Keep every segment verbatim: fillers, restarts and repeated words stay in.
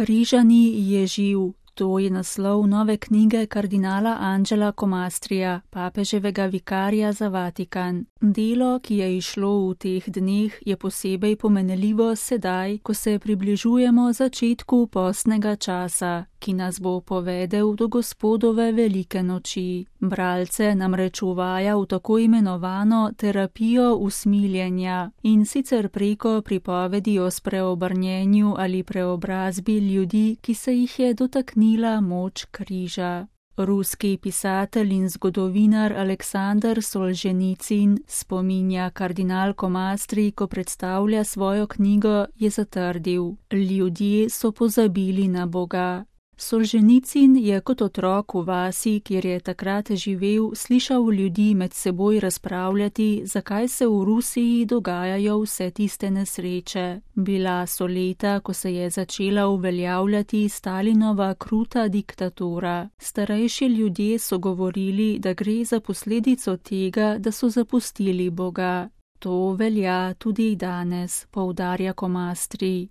Križani je živ. To je naslov nove knjige kardinala Angela Comastrija, papeževega vikarja za Vatikan. Delo, ki je izšlo v teh dneh, je posebej pomenljivo sedaj, ko se približujemo začetku postnega časa, ki nas bo povedel do Gospodove velike noči. Bralce namreč uvaja v tako imenovano terapijo usmiljenja, in sicer preko pripovedi o spreobrnjenju ali preobrazbi ljudi, ki se jih je dotaknila moč križa. Ruski pisatelj in zgodovinar Aleksandar Solženicin, spominja kardinal Comastri, ko predstavlja svojo knjigo, je zatrdil: ljudje so pozabili na Boga. Solženicin je kot otrok v vasi, kjer je takrat živel, slišal ljudi med seboj razpravljati, zakaj se v Rusiji dogajajo vse tiste nesreče. Bila so leta, ko se je začela uveljavljati Stalinova kruta diktatura. Starejši ljudje so govorili, da gre za posledico tega, da so zapustili Boga. To velja tudi danes, poudarja Comastri.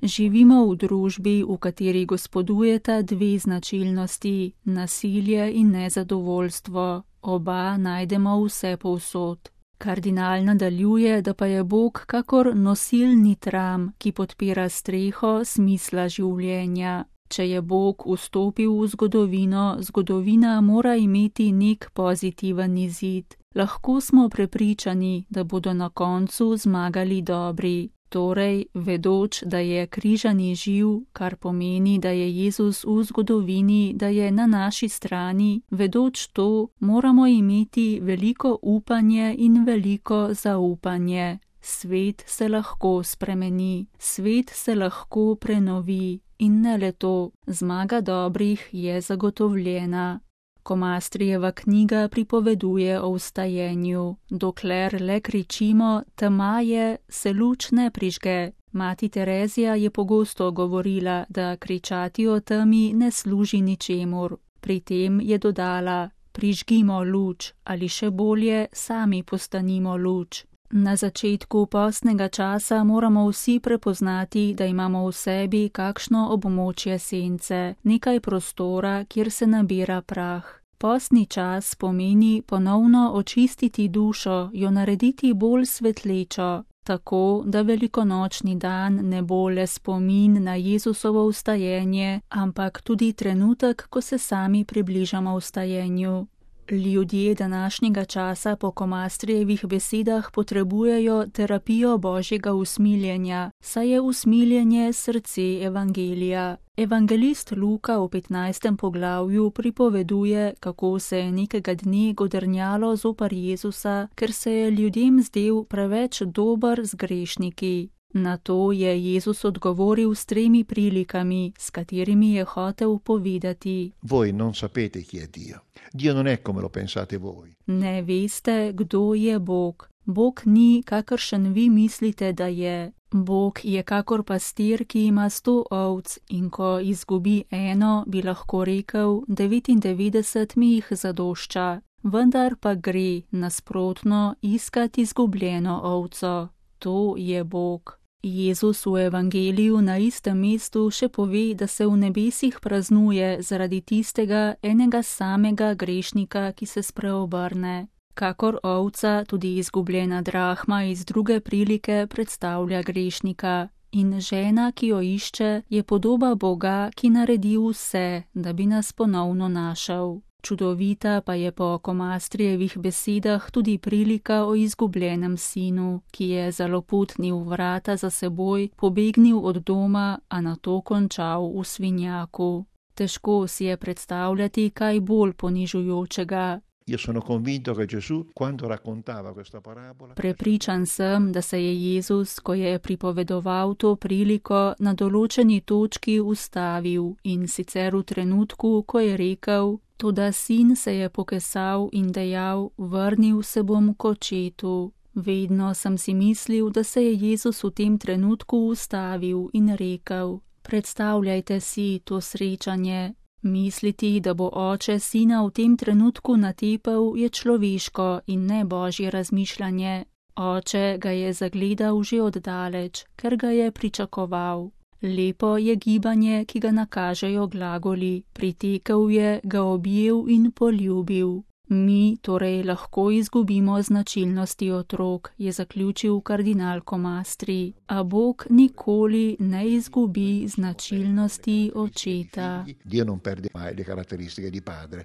Živimo v družbi, v kateri gospodujeta dve značilnosti, nasilje in nezadovoljstvo. Oba najdemo vse povsod. Kardinal nadaljuje, da pa je Bog kakor nosilni tram, ki podpira streho smisla življenja. Če je Bog vstopil v zgodovino, zgodovina mora imeti nek pozitiven izid. Lahko smo prepričani, da bodo na koncu zmagali dobri. Torej, vedoč, da je križani živ, kar pomeni, da je Jezus v zgodovini, da je na naši strani, vedoč to, moramo imeti veliko upanje in veliko zaupanje. Svet se lahko spremeni, svet se lahko prenovi. In ne le to, zmaga dobrih je zagotovljena. Comastrijeva knjiga pripoveduje o vstajenju. Dokler le kričimo, tema je, se luč ne prižge. Mati Terezija je pogosto govorila, da kričati o temi ne služi ničemur. Pri tem je dodala: prižgimo luč, ali še bolje, sami postanimo luč. Na začetku postnega časa moramo vsi prepoznati, da imamo v sebi kakšno območje sence, nekaj prostora, kjer se nabira prah. Postni čas pomeni ponovno očistiti dušo, jo narediti bolj svetlečo, tako da velikonočni dan ne bo le spomin na Jezusovo vstajenje, ampak tudi trenutek, ko se sami približamo vstajenju. Ljudje današnjega časa po Comastrijevih besedah potrebujejo terapijo božjega usmiljenja, saj je usmiljenje srce evangelija. Evangelist Luka v petnajstem poglavju pripoveduje, kako se je nekega dne godrnjalo zoper Jezusa, ker se je ljudem zdel preveč dober z grešniki. Na to je Jezus odgovoril s tremi prilikami, s katerimi je hotel povedati: Voi non sapete chi è Dio. Dio non è come lo pensate voi. Ne veste, kdo je Bog. Bog ni, kakršen vi mislite, da je. Bog je kakor pastir, ki ima sto ovc, in ko izgubi eno, bi lahko rekel, devetindevetdeset mi jih zadošča. Vendar pa gre, nasprotno, iskat izgubljeno ovco. To je Bog. Jezus v evangeliju na istem mestu še pove, da se v nebesih praznuje zaradi tistega enega samega grešnika, ki se spreobrne. Kakor ovca, tudi izgubljena drahma iz druge prilike predstavlja grešnika. In žena, ki jo išče, je podoba Boga, ki naredi vse, da bi nas ponovno našel. Čudovita pa je po Comastrijevih besedah tudi prilika o izgubljenem sinu, ki je zaloputnil vrata za seboj, pobegnil od doma, a nato končal v svinjaku. Težko si je predstavljati kaj bolj ponižujočega. Io sono convinto che Gesù, quando raccontava questa parabola, Prepričan sem, da se je Jezus, ko je pripovedoval to priliko, na določeni točki ustavil, in sicer v trenutku, ko je rekel: toda sin se je pokesal in dejal: vrnil se bom k očetu. Vedno sem si mislil, da se je Jezus v tem trenutku ustavil in rekel: predstavljajte si to srečanje. Misliti, da bo oče sina v tem trenutku natepel, je človeško in ne božje razmišljanje. Oče ga je zagledal že oddaleč, ker ga je pričakoval. Lepo je gibanje, ki ga nakažejo glagoli, pritekel je, ga objel in poljubil. Mi torej lahko izgubimo značilnosti otrok, je zaključil kardinal Comastri, a Bog nikoli ne izgubi značilnosti očeta. Dio non perde mai le caratteristiche di padre.